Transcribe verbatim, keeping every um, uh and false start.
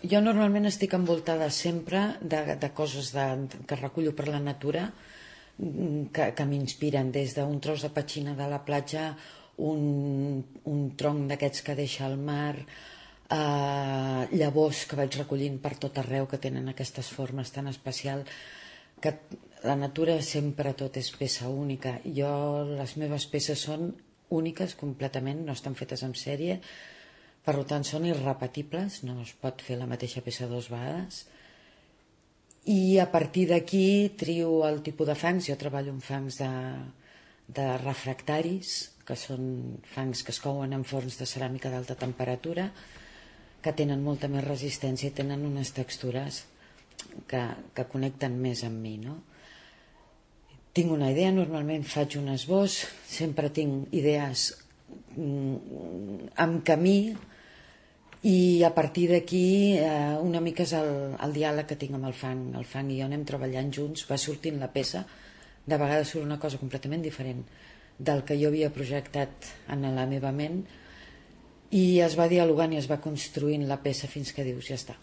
Jo normalment estic envoltada sempre de, de coses de, que recullo per la natura, que, que m'inspiren, des d'un tros de petxina de la platja, un, un tronc d'aquests que deixa el mar, eh, llavors que vaig recollint per tot arreu, que tenen aquestes formes tan especials, que la natura sempre tot és peça única. Jo, les meves peces són úniques completament, no estan fetes en sèrie, per tant són irrepetibles, no es pot fer la mateixa peça dues vegades, i a partir d'aquí trio el tipus de fangs. Jo treballo amb fangs de, de refractaris, que són fangs que es couen en forns de ceràmica d'alta temperatura, que tenen molta més resistència i tenen unes textures que, que connecten més amb mi, no? Tinc una idea, normalment faig un esbós, sempre tinc idees en camí, i a partir d'aquí eh, una mica és el, el diàleg que tinc amb el fang. El fang i jo anem treballant junts, va sortint la peça, de vegades surt una cosa completament diferent del que jo havia projectat en la meva ment, i es va dialogant i es va construint la peça fins que dius ja està.